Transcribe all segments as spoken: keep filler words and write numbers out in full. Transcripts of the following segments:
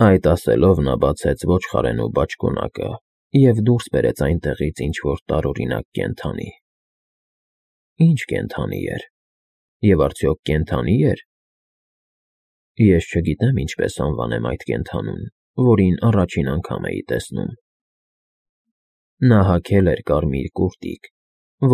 Այդ ասելով նա բացեց ոչխարենու բաճկոնակը և դուրս բերեց այնտեղից ինչ-որ տարօրինակ կենդանի։ Ի՞նչ կենդանի էր, և արդյոք կենդանի՞ էր։ Ես չգիտեմ ինչպես անվանեմ այդ կենդանուն, որին առաջին անգամ էի տեսնում։ Նա հագել էր կարմիր կուրտիկ,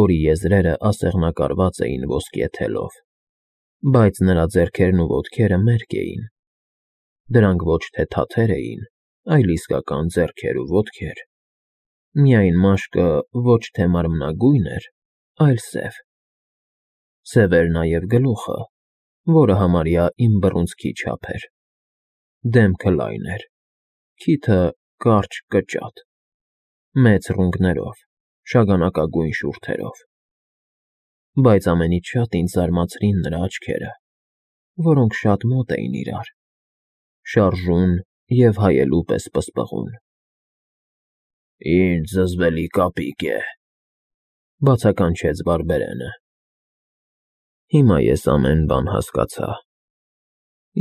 որի եզրերը ասեղնակարված էին ոսկե թելով, բայց նրա ձեռքերն ու ոտքերը մերկ էին։ Դրանք ոչ թե թաթեր էին, այլ իսկական ձեռքեր ու ոտքեր, միայն մաշկը ոչ թե մարմնագույն էր, այլ սև։ Սև էր նաև գլուխը, որը համարյա իմ բռունցքի չափ էր։ Դեմքը լայն էր, քիթը կարճ կճատ, մեծ ռունգներով, շագանակագույն շուրթերով։ Բայց ամենից շատ ինձ զարմացրին նրա աչքերը, որոնք շատ մոտ էին իրար, շարժուն և հայելու պես պսպղուն։ «Ինչ զզվելի կապիկ է,֊ բացականչեց բարբերենը։ Հիմա ես ամեն բան հասկացա։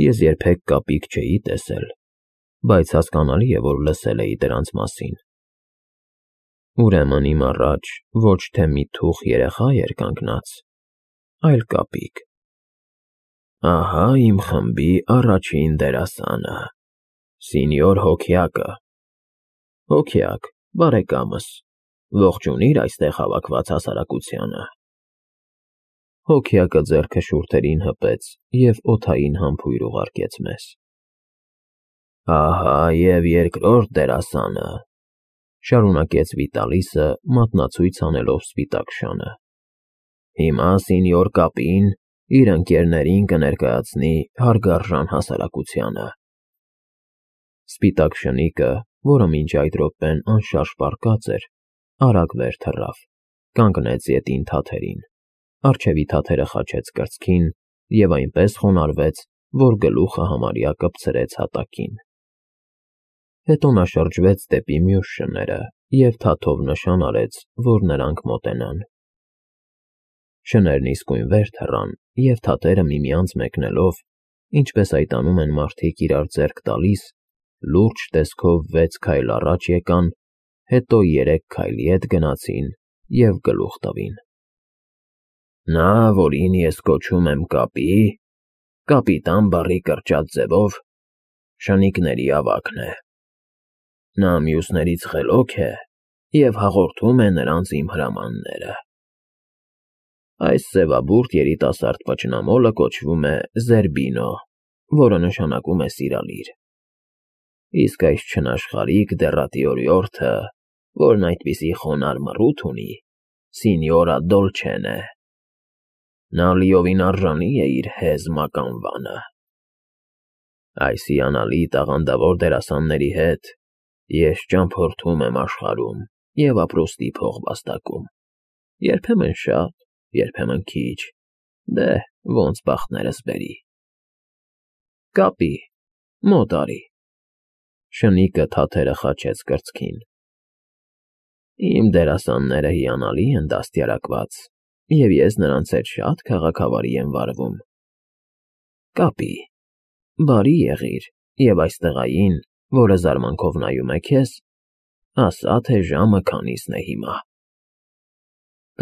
Ես երբեք կապիկ չէի տեսել, բայց հասկանալի է, որ լսել էի դրանց մասին։ Ուրեմն իմ առաջ ոչ թե մի թուխ երեխա էր կանգնած, այլ կապիկ։ Ահա իմ խմբի առաջին դերասանը, Սինյոր Հոգյակը։ Հոգյակ, բարեկամս, ողջունիր այստեղ հավաքված հասարակությանը։ Հոգյակը ձեռքը շուրթերին հպեց և օդային համբույր ուղարկեց մեզ։ Ահա և երկրորդ դերասանը,֊ շարունակեց Վիտալիսը, մատնացույց անելով սպիտակ շանը։ Հիմա Սինյոր Կապին իր ընկերներին կներկայացնի հարգարժան հասարակությանը։ Սպիտակ շնիկը, որը մինչ այդ րոպեն անշարժ պառկած էր, արագ վեր թռավ, կանգնեց ետին թաթերին, առջևի թաթերը խաչեց կրծքին և այնպես խոնարհվեց, որ գլուխը համարյա կպցրեց հատակին։ Հետո նա շրջվեց դեպի մյուս շները և թաթով նշան արեց, որ նրանք մոտենան։ Շներն իսկույն վեր թռան, և թաթերը միմյանց մեկնելով, ինչպես այդ անում են մարդիկ իրար ձեռք տալիս, լուրջ տեսքով վեց քայլ առաջ եկան, հետո երեք քայլի ետ գնացին և գլուխ տվին։ Նա, որին ես կոչում եմ Կապի, կապիտան բառի կրճատ ձևով, շնիկների ավագն է։ Նա մյուսներից խելոք է և հաղորդում է նրանց իմ հրամանները։ Այս սևաբուրդ երիտասարդ պճնամոլը կոչվում է Զերբինո, որը նշանակում է սիրալիր, իսկ այս չնաշխարհիկ դեռատիորյորդը, որն այդպիսի խոնարհ մռութ ունի, Սինյորա Դոլչեն է։ Նա լիովին արժանի է իր հեզ մականվանը։ Այս հիանալի տաղանդավոր դերասանների հետ ես ճամփորդում եմ աշխարհում և ապրուստի փող վաստակում, երբեմն շատ, երբեմն քիչ, դե ոնց բախտներս բերի։ Կապի, մոտ արի։ Շնիկը թաթերը խաչեց կրծքին։ Իմ դերասանները հիանալի են դաստիարակված, և ես նրանց հետ շատ քաղաքավարի եմ վարվում։ Կապի, բարի եղիր և այս տղային, որը զարմանքով նայում է քեզ, ասա, թե ժամը քանիսն է հիմա։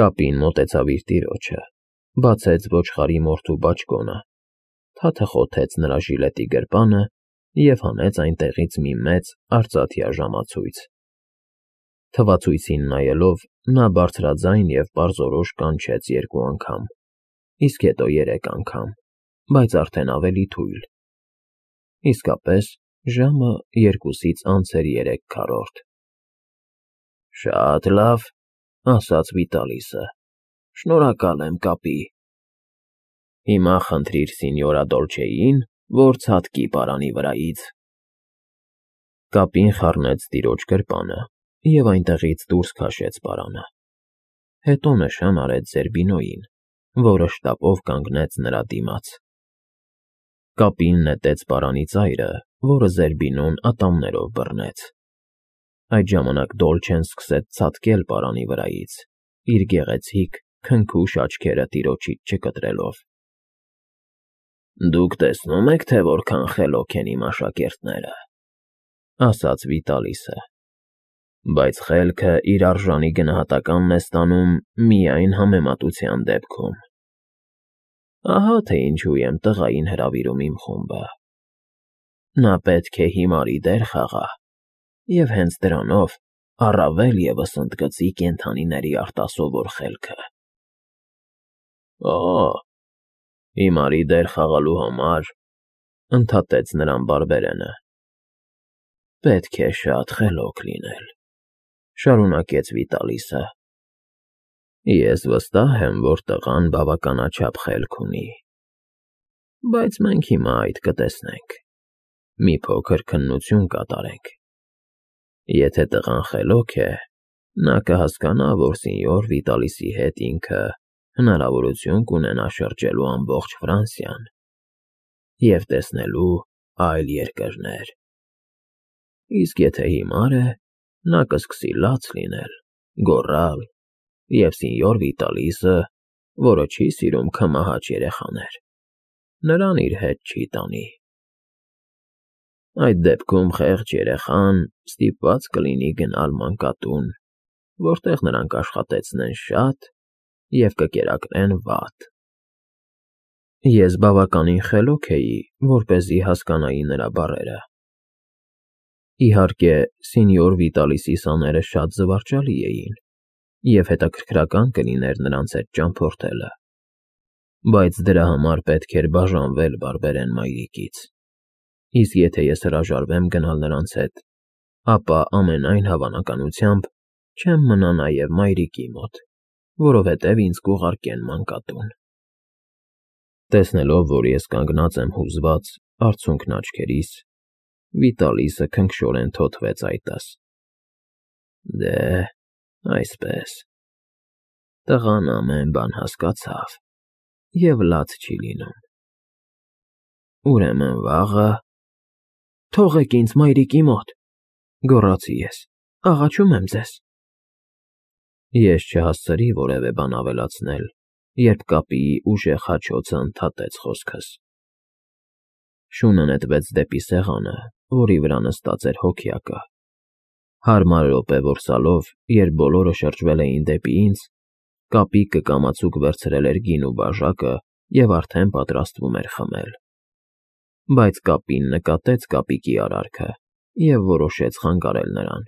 Կապին մոտեցավ իր տիրոջը, բացեց ոչխարի մորթու բաճկոնը, թաթը խոթեց նրա ժիլետի գրպանը և հանեց այնտեղից մի մեծ արծաթյա ժամացույց։ Թվացույցին նայելով, նա բարձրաձայն և պարզորոշ կանչեց երկու անգամ, իսկ հետո երեք անգամ, բայց արդեն ավելի թույլ։ Իսկապես, ժամը երկուսից անց էր երեք քառորդ։ Շատ լավ,֊ ասաց Վիտալիսը, շնորհակալ եմ, Կապի։ Հիմա խնդրիր Սինյորա Դոլչեին, որ ցատկի պարանի վրայից։ Կապին խառնեց տիրոջ գրպանը և այնտեղից դուրս քաշեց պարանը։ Հետո նշան արեց Զերբինոյին, որը շտապով կանգնեց նրա դիմաց։ Կապին նետեց պարանի ծայրը, որը Զերբինոն ատամներով բռնեց։ Այդ ժամանակ Դոլչեն սկսեց ցատկել պարանի վրայից, իր գեղեցիկ, քնքուշ աչքերը տիրոջից չկտրելով։ Դուք տեսնո՞ւմ եք, թե որքան խելոք են իմ աշակերտները։ ասաց Վիտալիսը, բայց խելքը իր արժանի գնահատականն է ստանում միայն համեմատության դեպքում։ Ահա թե ինչու եմ տղային հրավիրում իմ խումբը։ Նա պետք է հիմարի դեր խաղա, և հենց դրանով առավել ևս ընդգծի կենդանիների արտասովոր խելքը։ Օ՜, հիմարի դեր խաղալու համար, ընդհատեց նրան բարբերենը, պետք է շատ խելոք լինել, շարունակեց Վիտալիսը։ Ես վստահ եմ, որ տղան բավականաչափ խելք ունի, բայց մենք հիմա այդ կտեսնենք, մի փոքր քննություն կատարենք։ Եթե տղան խելոք է, նա կհասկանա, որ սենյոր Վիտալիսի հետ ինքը հնարավորություն կունենա շրջելու ամբողջ Ֆրանսիան և տեսնելու այլ երկրներ։ Իսկ եթե հիմար է, նա կսկսի լաց լինել, գոռալ, և սենյոր Վիտալիսը, որը չի սիրում քմահաճ երեխաներ, նրան իր հետ չի տանի։ Այդ դեպքում խեղճ երեխան ստիպված կլինի գնալ մանկատուն, որտեղ նրան կաշխատեցնեն շատ և կկերակրեն վատ։ Ես բավականին խելոք էի, որպեսզի հասկանայի նրա բառերը։ Իհարկե, սենյոր Վիտալիսի սաները շատ զվարճալի էին, և հետաքրքրական կլիներ նրանց հետ ճամփորդելը, բայց դրա համար պետք էր բաժանվել բարբերեն մայրիկից, իսկ եթե ես հրաժարվեմ գնալ նրանց հետ, ապա ամենայն հավանականությամբ չեմ մնա նաև մայրիկի մոտ, որովհետև ինձ կուղարկեն մանկատուն։ Տեսնելով, որ ես կանգնած եմ հուզված, արցունքն աչքերիս, Վիտալիսը քնքշորեն թոթվեց այտս։ Դե, այսպես, տղան ամեն բան հասկացավ և լաց չի լինում։ Ուրեմն վաղը… Թողեք ինձ մայրիկի մոտ, գոռացի ես, աղաչում եմ ձեզ։ Ես չհասցրի որևէ բան ավելացնել, երբ կապիի ուժեղ հաչոցը ընդհատեց խոսքս։ Շունը նետվեց դեպի սեղանը, որի վրա նստած էր հոգյակը։ Հարմար րոպե-որսալով, երբ բոլորը շրջվել էին դեպի ինձ, կապիկը կամացուկ վերցրել էր գինու բաժակը և արդեն պատրաստվում էր խմել։ Բայց կապին նկատեց կապիկի արարքը և որոշեց խանգարել նրան։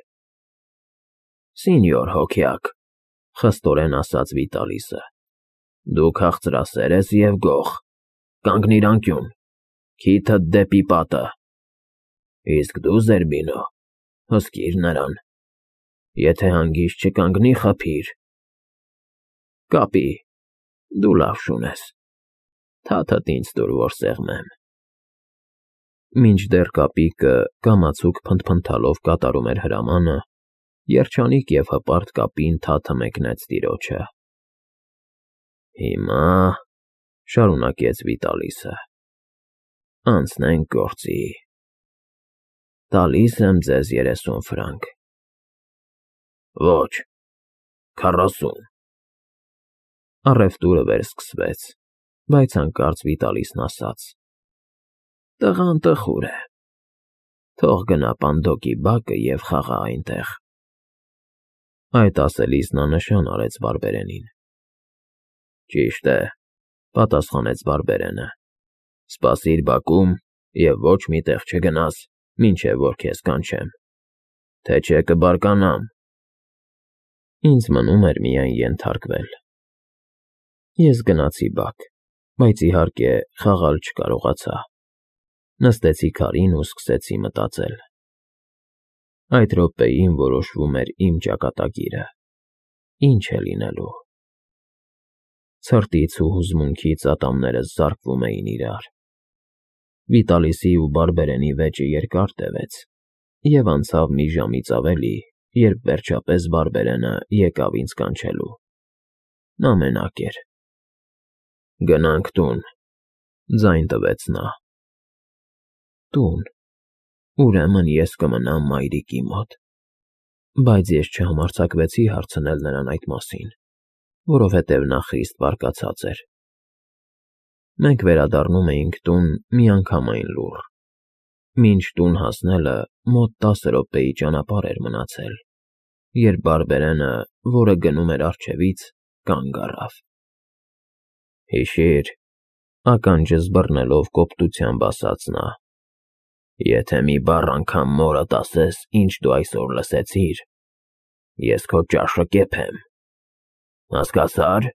Սենյոր հոգյակ, խստորեն ասաց Վիտալիսը, դու քաղցրասեր ես և գող, կանգնիր անկյուն, քիթդ դեպի պատը։ Իսկ դու, Զերբինո, հսկիր նրան, եթե հանգիստ չկանգնի, խփիր։ Կապի, դու լավ շուն ես, թաթդ ինձ տուր, որ սեղմեմ։ Մինչդեռ կապիկը կամացուկ փնթփնթալով կատարում էր հրամանը, երջանիկ և հպարտ կապին թաթը մեկնեց տիրոջը։ Հիմա, շարունակեց Վիտալիսը, անցնենք գործի։ Տալիս եմ ձեզ երեսուն ֆրանկ։ Ոչ, քառասուն։ Առևտուրը վերսկսվեց, բայց հանկարծ Վիտալիսն ասաց. Տղան տխուր է, թող գնա Պանդոկի բակը և խաղա այնտեղ։ Այդ ասելիս նա նշան արեց բարբերենին։ Ճիշտ է, պատասխանեց բարբերենը, սպասիր բակում և ոչ մի տեղ չգնաս, մինչև որ քեզ կանչեմ, թե չէ կբարկանամ։ Ինձ մնում էր միայն ենթարկվել։ Ես գնացի բակ, բայց իհարկե խաղալ չկարողացա։ Նստեցի քարին ու սկսեցի մտածել։ Այդ րոպեին որոշվում էր իմ ճակատագիրը, ինչ է լինելու։ Ցրտից ու հուզմունքից ատամներս զարկվում էին իրար։ Վիտալիսի ու բարբերենի վեճը երկար տևեց և անցավ մի ժամից ավելի, երբ վերջապես բարբերենը եկավ ինձ կանչելու։ Նա մենակ էր։ Գնանք տուն, ձայն տվեց նա։ Տուն, ուրեմն ես կմնամ մայրիկի մոտ։ Բայց ես չհամարձակվեցի հարցնել նրան այդ մասին, որովհետև նա խիստ բարկացած էր։ Մենք վերադառնում էինք տուն միանգամայն լուռ։ Մինչ տուն հասնելը մոտ տասը րոպեի ճանապարհ էր մնացել, երբ բարբերենը, որը գնում էր առջևից, կանգ առավ։ ֊ Հիշի՛ր,֊ ականջս բռնելով կոպտությամբ ասաց նա,֊ եթե մի բառ անգամ մորդ ասես, ինչ դու այսօր լսեցիր, ես քո ճաշը կեփեմ, հասկացա՞ր։